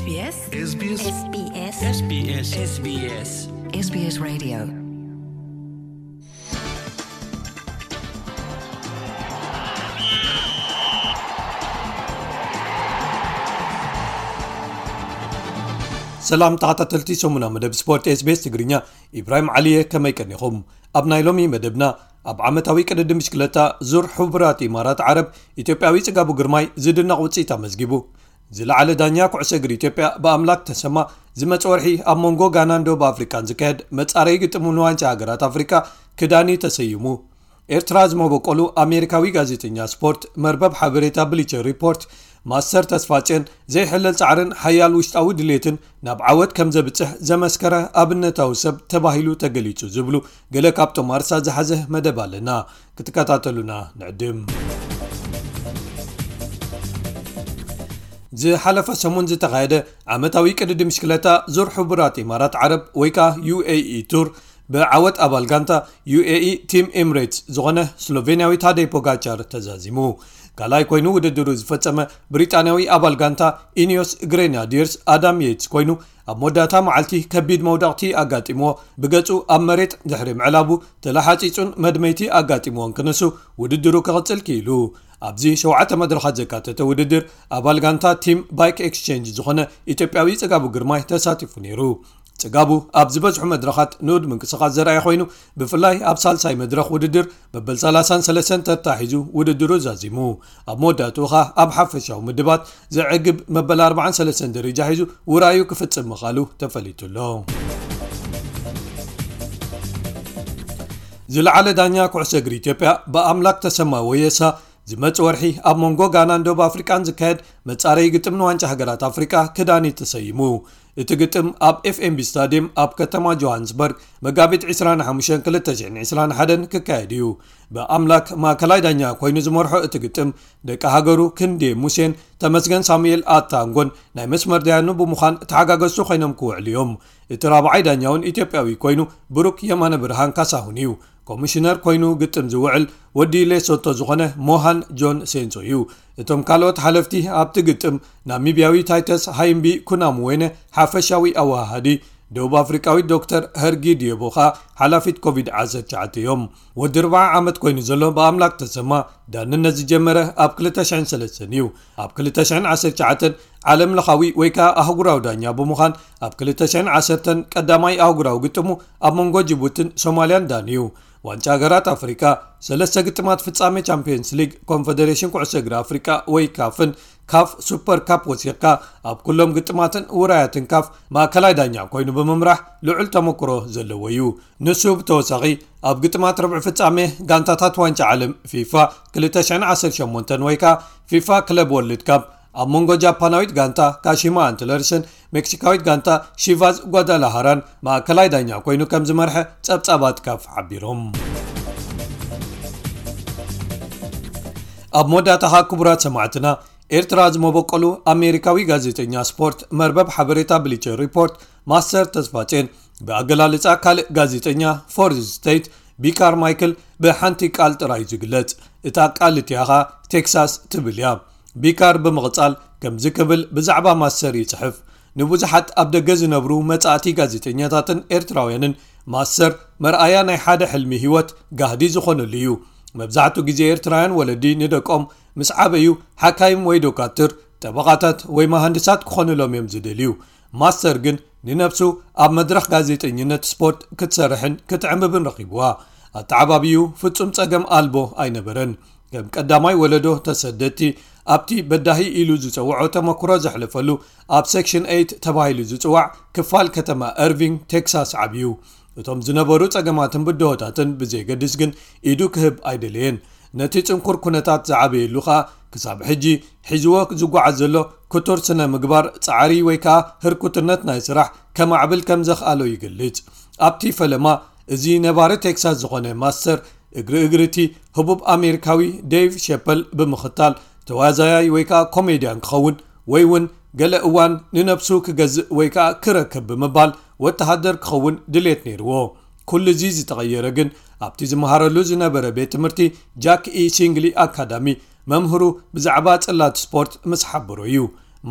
SBS SBS SBS SBS SBS SBS Radio. ሰላም ተኸታተልቲ ሰሙና መደብ ስፖርት SBS ትግርኛ፣ ኢብራሂም ዓሊየ፣ ከመይ ቀኒኹም? ኣብ ናይ ሎሚ መደብና፣ ኣብ ዓመታዊ ቅድድም ብሽክለታ ዙር ሕቡራት ኢማራት ዓረብ፣ ኢትዮጵያዊ ጽጋቡ ግርማይ ዝድነቕ ውጽኢት ኣመዝጊቡ። ዝለዓለ ዳኛ ኩዕሶ እግሪ ኢትዮጵያ ብኣምላክ ተሰማ፣ ዝመጽእ ወርሒ ኣብ መንጎ ጋናን ደቡብ ኣፍሪቃን ዝካየድ መጻረዪ ግጥሙ ንዋንጫ ሃገራት ኣፍሪቃ ክዳኒ ተሰይሙ። ኤርትራ ዝመበቆሉ ኣሜሪካዊ ጋዜጠኛ ስፖርት፣ መርበብ ሓበሬታ ብሊቸር ሪፖርት፣ ማስተር ተስፋጽዮን ዘይሕለል ጻዕርን ሓያል ውሽጣዊ ድሌትን ናብ ዓወት ከም ዘብጽሕ ዘመስከረ ኣብነታዊ ሰብ ተባሂሉ ተገሊጹ ዝብሉ ገለ ካብቶም ኣርሳ ዝሓዘ መደብ ኣለና። ክትከታተሉና ንዕድም። ዝሓለፈ ሰሙን ዝተኻየደ ዓመታዊ ቅድድም ብሽክለታ ዙር ሕቡራት ኢማራት ዓረብ ወይ ከኣ ዩ ኤ ኢ ቱር ብዓወት ኣባል ጋንታ ዩ ኤ ኢ ቲም ኤምሬትስ ዝኾነ ስሎቬንያዊ ታደይ ፖጋቻር ተዛዚሙ። ካልኣይ ኮይኑ ውድድሩ ዝፈጸመ ብሪጣንያዊ ኣባል ጋንታ ኢኒዮስ ግሬናዲርስ ኣዳም የትስ ኮይኑ፣ ኣብ መወዳእታ መዓልቲ ከቢድ መውደቕቲ ኣጋጢምዎ ብገጹ ኣብ መሬት ድሕሪ ምዕላቡ ተላሓጺጹን መድመይቲ ኣጋጢምዎን ክንሱ ውድድሩ ክቕጽል ክኢሉ። ኣብዚ ሸውዓተ መድረኻት ዘካተተ ውድድር ኣባል ጋንታ ቲም ባይክ ኤክስቼንጅ ዝኾነ ኢትዮጵያዊ ጽጋቡ ግርማይ ተሳቲፉ ነይሩ። ጽጋቡ ኣብ ዝበዝሑ መድረኻት ንኡድ ምንቅስቓስ ዘርኣየ ኮይኑ፣ ብፍላይ ኣብ ሳልሳይ መድረኽ ውድድር መበል ሰላሳን ሰለስተን ተታሒዙ ውድድሩ ዛዚሙ። ኣብ መወዳእትኡ ኸኣ ኣብ ሓፈሻዊ ምድባት ዘዕግብ መበል ኣርባዓን ሰለስተን ደረጃ ሒዙ ውራዩ ክፍጽም ምኻሉ ተፈሊጡ ኣሎ። ዝለዓለ ዳኛ ኩዕሶ እግሪ ኢትዮጵያ ብኣምላክ ተሰማ ወየሳ፣ ዝመጽእ ወርሒ ኣብ መንጎ ጋናን ደቡብ ኣፍሪቃን ዝካየድ መጻረዪ ግጥም ንዋንጫ ሃገራት ኣፍሪቃ ክዳኒ ተሰይሙ። እቲ ግጥም ኣብ ኤፍ ኤም ቢ ስታድየም ኣብ ከተማ ጆሃንስበርግ መጋቢት ዕስራን ሓሙሽተን ክልተ ሽሕን ዕስራን ሓደን ክካየድ እዩ። ብኣምላክ ማእከላይ ዳኛ ኮይኑ ዝመርሖ እቲ ግጥም፣ ደቂ ሃገሩ ክንዴ ሙሴን ተመስገን ሳሙኤል ኣታንጎን ናይ መስመር ዳያኑ ብምዃን ተሓጋገዝቱ ኮይኖም ክውዕሉ እዮም። እቲ ራብዓይ ዳኛ እውን ኢትዮጵያዊ ኮይኑ ብሩክ የማነ ብርሃን ካሳሁን እዩ። ኮሚሽነር ኮይኑ ግጥም ዝውዕል ወዲ ሌሶቶ ዝኾነ ሞሃን ጆን ሴንሶ እዩ። እቶም ካልኦት ሓለፍቲ ኣብቲ ግጥም ናሚብያዊ ታይተስ ሃይምቢ ኩናምዌነ ሓፈሻዊ ኣወሃሃዲ፣ ደቡብ ኣፍሪቃዊት ዶክተር ሀርጊ ዲዮቦ ኸኣ ሓላፊት ኮቪድ ዓሰርተ ትሽዓተ እዮም። ወዲ ኣርብዓ ዓመት ኮይኑ ዘሎ ብኣምላክ ተሰማ ዳንነት ዝጀመረ ኣብ ክልተ ሽሕን ሰለስተን እዩ። ኣብ ክልተ ሽሕን ዓሰርተ ትሽዓተን ዓለም ለኻዊ ወይ ከኣ ኣህጉራዊ ዳኛ ብምዃን ኣብ ክልተ ሽሕን ዓሰርተን ቀዳማይ ኣህጉራዊ ግጥሙ ኣብ መንጎ ጅቡትን ሶማልያን ዳንዩ። ዋንጫ ሃገራት ኣፍሪቃ፣ ሰለስተ ግጥማት ፍጻሜ ቻምፒየንስ ሊግ ኮንፈደሬሽን ኩዕሶ እግሪ ኣፍሪቃ ወይ ካፍን ካፍ ሱፐር ካፕ ወሲኽካ፣ ኣብ ኩሎም ግጥማትን ውራያትን ካፍ ማእከላይ ዳኛ ኮይኑ ብምምራሕ ልዑል ተመክሮ ዘለዎ እዩ። ንሱ ብተወሳኺ ኣብ ግጥማት ርብዒ ፍጻሜ ጋንታታት ዋንጫ ዓለም ፊፋ ክልተ ሽሕን ዓሰርተ ሸሞንተን ወይ ከኣ ፊፋ ክለብ ወርልድ ካፕ ኣብ መንጎ ጃፓናዊት ጋንታ ካሺማ ኣንትለርስን ሜክሲካዊት ጋንታ ሺቫዝ ጓዳላሃራን ማእከላይ ዳኛ ኮይኑ ከም ዝመርሐ ጸብጻባት ካፍ ሓቢሮም። ኣብ መወዳእታ ኸኣ ክቡራት ሰማዕትና፣ ኤርትራ ዝመበቆሉ ኣሜሪካዊ ጋዜጠኛ ስፖርት መርበብ ሓበሬታ ብሊቸር ሪፖርት ማስተር ተስፋጼን ብኣገላልጻ ካልእ ጋዜጠኛ ፎርዝ ስቴት ቢካር ማይክል ብሓንቲ ቃል ጥራይ ዝግለጽ። እታ ቃል እቲኣ ኸኣ ቴክሳስ ትብል እያ። ቢካር ብምቕጻል ከምዚ ክብል ብዛዕባ ማስተር ይጽሕፍ። ንብዙሓት ኣብ ደገ ዝነብሩ መጻእቲ ጋዜጠኛታትን ኤርትራውያንን ማስተር መርኣያ ናይ ሓደ ሕልሚ ህይወት ጋህዲ ዝኾነሉ እዩ። መብዛሕትኡ ግዜ ኤርትራውያን ወለዲ ንደቆም ምስ ዓበዩ ሓካይም ወይ ዶካትር፣ ጠበቓታት ወይ መሃንድሳት ክኾኑሎም እዮም ዝደልዩ። ማስተር ግን ንነብሱ ኣብ መድረኽ ጋዜጠኝነት ስፖርት ክትሰርሕን ክትዕምብብን ረኺብዋ። ኣተዓባቢኡ ፍጹም ጸገም ኣልቦ ኣይነበረን። ከም ቀዳማይ ወለዶ ተሰደድቲ ኣብቲ በዳሂ ኢሉ ዝጸውዖ ተመክሮ ዘሕለፈሉ ኣብ ሴክሽን ኤይት ተባሂሉ ዝጽዋዕ ክፋል ከተማ እርቪንግ ቴክሳስ ዓብዩ። እቶም ዝነበሩ ጸገማትን ብድሆታትን ብዘየገድስ ግን ኢዱ ክህብ ኣይደለየን። ነቲ ጽንኩር ኩነታት ዝዓበየሉ ኸኣ ክሳብ ሕጂ ሒዝዎ ዝጓዓዝ ዘሎ ክቱር ስነ ምግባር ጻዕሪ ወይ ከኣ ህርኩትነት ናይ ስራሕ ከማዕብል ከም ዘኽኣሎ ይገልጽ። ኣብቲ ፈለማ እዚ ነባሪ ቴክሳስ ዝኾነ ማስተር እግሪ እግሪ እቲ ህቡብ ኣሜሪካዊ ዴቭ ሸፐል ብምኽታል ተዋዛያይ ወይ ከኣ ኮሜድያን ክኸውን ወይ እውን ገለ እዋን ንነብሱ ክገዝእ ወይ ከኣ ክረክብ ብምባል ወተሃደር ክኸውን ድሌት ነይርዎ። ኩሉ እዚ ዝተቐየረ ግን ኣብቲ ዝመሃረሉ ዝነበረ ቤት ትምህርቲ ጃክ ኢ ሲንግሊ ኣካዳሚ መምህሩ ብዛዕባ ጽላት ስፖርት ምስ ሓበሮ እዩ።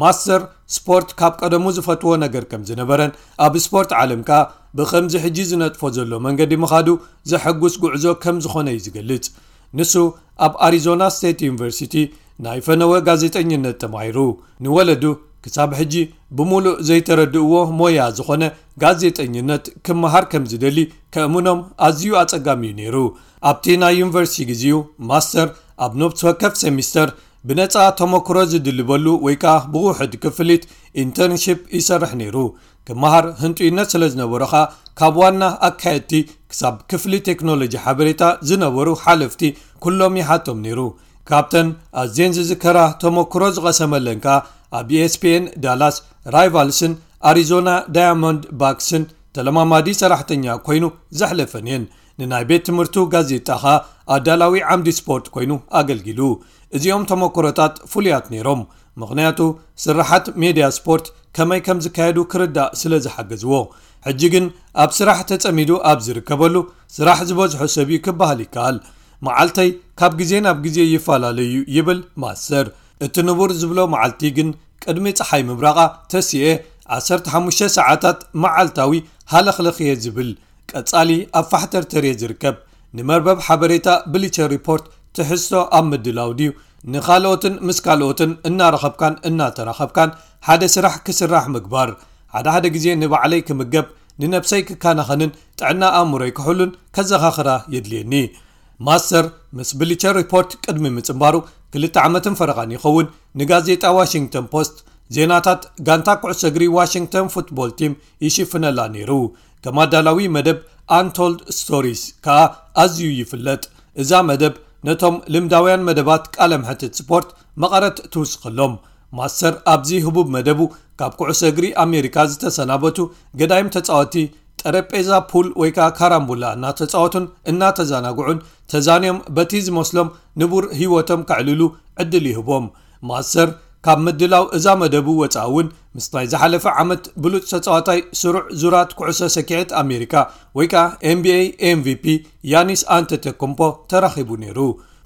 ማስተር ስፖርት ካብ ቀደሙ ዝፈትዎ ነገር ከም ዝነበረን ኣብ ስፖርት ዓለም ከኣ ብኸምዚ ሕጂ ዝነጥፎ ዘሎ መንገዲ ምኻዱ ዘሐጉስ ጉዕዞ ከም ዝኾነ እዩ ዝገልጽ። ንሱ ኣብ ኣሪዞና ስቴት ዩኒቨርሲቲ ናይ ፈነወ ጋዜጠኝነት ተማሂሩ። ንወለዱ ክሳብ ሕጂ ብምሉእ ዘይተረድእዎ ሞያ ዝኾነ ጋዜጠኝነት ክመሃር ከም ዝደሊ ከእምኖም ኣዝዩ ኣጸጋሚ እዩ ነይሩ። ኣብቲ ናይ ዩኒቨርሲቲ ግዜኡ ማስተር ኣብ ነብሲ ወከፍ ሴሚስተር ብነጻ ተመክሮ ዝድልበሉ ወይ ከኣ ብውሕድ ክፍሊት ኢንተርንሺፕ ይሰርሕ ነይሩ። ክመሃር ህንጡይነት ስለ ዝነበሮ ከኣ ካብ ዋና ኣካየድቲ ክሳብ ክፍሊ ቴክኖሎጂ ሓበሬታ ዝነበሩ ሓለፍቲ ኩሎም ይሓቶም ነይሩ። ካብተን ኣዝየን ዝዝከራ ተመክሮ ዝቐሰመለን ከኣ ኣብ ኢኤስፒኤን ዳላስ ራይቫልስን ኣሪዞና ዳያሞንድ ባክስን ተለማማዲ ሰራሕተኛ ኮይኑ ዘሕለፈን እየን። ንናይ ቤት ትምህርቱ ጋዜጣ ኸኣ ኣዳላዊ ዓምዲ ስፖርት ኮይኑ ኣገልጊሉ። እዚኦም ተመክሮታት ፍሉያት ነይሮም፣ ምኽንያቱ ስራሓት ሜድያ ስፖርት ከመይ ከም ዝካየዱ ክርዳእ ስለ ዝሓገዝዎ። ሕጂ ግን ኣብ ስራሕ ተጸሚዱ ኣብ ዝርከበሉ ስራሕ ዝበዝሖ ሰብ እዩ ክበሃል ይከኣል። መዓልተይ ካብ ግዜ ናብ ግዜ ይፈላለ እዩ ይብል ማስተር። እቲ ንቡር ዝብሎ መዓልቲ ግን ቅድሚ ጸሓይ ምብራቓ ተሲኤ ዓሰርተ ሓሙሽተ ሰዓታት መዓልታዊ ሃለኽለኽ እየ ዝብል። ቀጻሊ ኣብ ፋሕተርተር እየ ዝርከብ። ንመርበብ ሓበሬታ ብሊቸር ሪፖርት ትሕዝቶ ኣብ ምድላው ድዩ፣ ንኻልኦትን ምስ ካልኦትን እናረኸብካን እናተራኸብካን ሓደ ስራሕ ክስራሕ ምግባር፣ ሓደ ሓደ ግዜ ንባዕለይ ክምገብ፣ ንነብሰይ ክከናኸንን ጥዕና ኣእምሮይ ክሕሉን ከዘኻኽራ የድልየኒ። ማስተር ምስ ብሊቸር ሪፖርት ቅድሚ ምጽንባሩ ክልተ ዓመትን ፈረቓን ይኸውን ንጋዜጣ ዋሽንግተን ፖስት ዜናታት ጋንታ ኩዕሶ እግሪ ዋሽንግተን ፉትቦል ቲም ይሽፍነላ ነይሩ። ከም ኣዳላዊ መደብ ኣንቶልድ ስቶሪስ ከኣ ኣዝዩ ይፍለጥ። እዛ መደብ ነቶም ልምዳውያን መደባት ቃለ መሕትት ስፖርት መቐረት ትውስኸሎም። ማስተር ኣብዚ ህቡብ መደቡ ካብ ኩዕሶ እግሪ ኣሜሪካ ዝተሰናበቱ ገዳይም ተጻወቲ ጠረጴዛ ፑል ወይ ከኣ ካራምቡላ እናተጻወቱን እናተዘናግዑን ተዛንዮም በቲ ዝመስሎም ንቡር ህይወቶም ከዕልሉ ዕድል ይህቦም። ማስተር ካብ ምድላው እዛ መደቡ ወጻኢ እውን ምስ ናይ ዝሓለፈ ዓመት ብሉጽ ተጻዋታይ ስሩዕ ዙራት ኩዕሶ ሰኪዔት ኣሜሪካ ወይ ከኣ ኤንቢኤ ኤምቪፒ ያኒስ ኣንተተኩምፖ ተራኺቡ ነይሩ።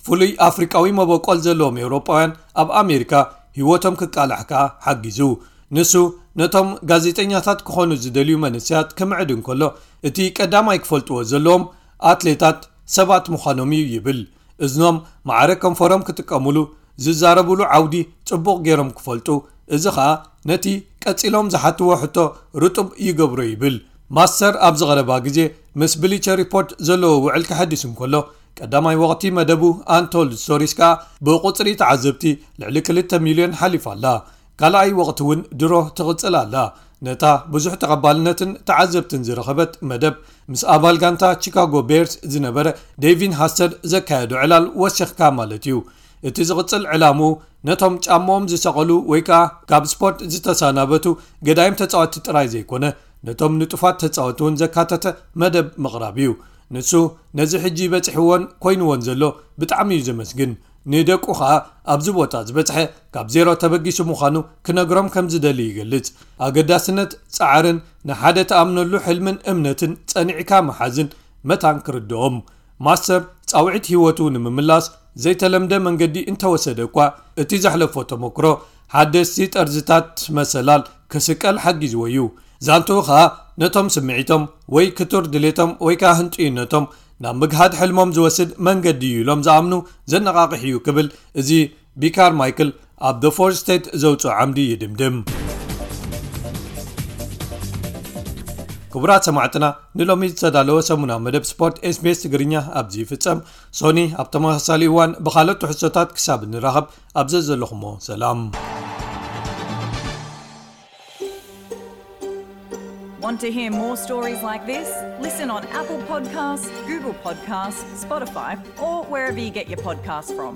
ፍሉይ ኣፍሪቃዊ መበቆል ዘለዎም ኤውሮጳውያን ኣብ ኣሜሪካ ህይወቶም ክቃላሕ ከኣ ሓጊዙ። ንሱ ነቶም ጋዜጠኛታት ክኾኑ ዝደልዩ መንእሰያት ክምዕድ እንከሎ እቲ ቀዳማይ ክፈልጥዎ ዘለዎም ኣትሌታት ሰባት ምዃኖም እዩ ይብል። እዝኖም ማዕረ ከንፈሮም ክጥቀሙሉ፣ ዝዛረቡሉ ዓውዲ ጽቡቕ ገይሮም ክፈልጡ፣ እዚ ኸኣ ነቲ ቀጺሎም ዝሓትዎ ሕቶ ርጡብ ይገብሮ ይብል። ማስተር ኣብዚ ቐረባ ግዜ ምስ ብሊቸር ሪፖርት ዘለዎ ውዕል ከሐድስ እንከሎ ቀዳማይ ወቕቲ መደቡ ኣንቶልድ ስቶሪስ ከኣ ብቑጽሪ ተዓዘብቲ ልዕሊ ክልተ ሚልዮን ሓሊፋ ኣላ። ካልኣይ ወቕቲ እውን ድሮ ትቕጽል ኣላ። ነታ ብዙሕ ተቐባልነትን ተዓዘብትን ዝረኸበት መደብ ምስ ኣባል ጋንታ ቺካጎ ቤርስ ዝነበረ ዴቪን ሃስተድ ዘካየዶ ዕላል ወሲኽካ ማለት እዩ። እቲ ዝቕጽል ዕላምኡ ነቶም ጫማኦም ዝሰቐሉ ወይ ከኣ ካብ ስፖርት ዝተሰናበቱ ገዳይም ተጻወትቲ ጥራይ ዘይኮነ ነቶም ንጡፋት ተጻወቲ እውን ዘካተተ መደብ ምቕራብ እዩ። ንሱ ነዚ ሕጂ በጺሕዎን ኮይንዎን ዘሎ ብጣዕሚ እዩ ዘመስግን። ንደቁ ኸኣ ኣብዚ ቦታ ዝበጽሐ ካብ ዜሮ ተበጊሱ ምዃኑ ክነግሮም ከም ዝደሊ ይገልጽ። ኣገዳስነት ጻዕርን ንሓደ ትኣምነሉ ሕልምን እምነትን ጸኒዕካ ምሓዝን መታን ክርድኦም። ማስተር ጻውዒት ህይወቱ ንምምላስ ዘይተለምደ መንገዲ እንተወሰደ እኳ እቲ ዘሕለፎ ተመክሮ ሓደስቲ ጠርዝታት መሰላል ክስቀል ሓጊዝዎ እዩ። ዛንትኡ ኸኣ ነቶም ስምዒቶም ወይ ክቱር ድሌቶም ወይ ከኣ ህንጡይነቶም ናብ ምግሃድ ሕልሞም ዝወስድ መንገዲ እዩ ኢሎም ዝኣምኑ ዘነቓቕሕ እዩ ክብል እዚ ቢካር ማይክል ኣብ The Fourth Estate ዘውፅኦ ዓምዲ ይድምድም። ክቡራት ሰማዕትና ንሎሚ ዝተዳለወ ሰሙናዊ መደብ ስፖርት ኤስቢኤስ ትግርኛ ኣብዚ ይፍጸም። ሶኒ ኣብ ተመሳሳሊ እዋን ብኻልኦት ትሕዝቶታት ክሳብ ንራኸብ ኣብ ዘዘለኹሞ ሰላም። Want to hear more stories like this? Listen on Apple Podcasts, Google Podcasts, Spotify, or wherever you get your podcasts from.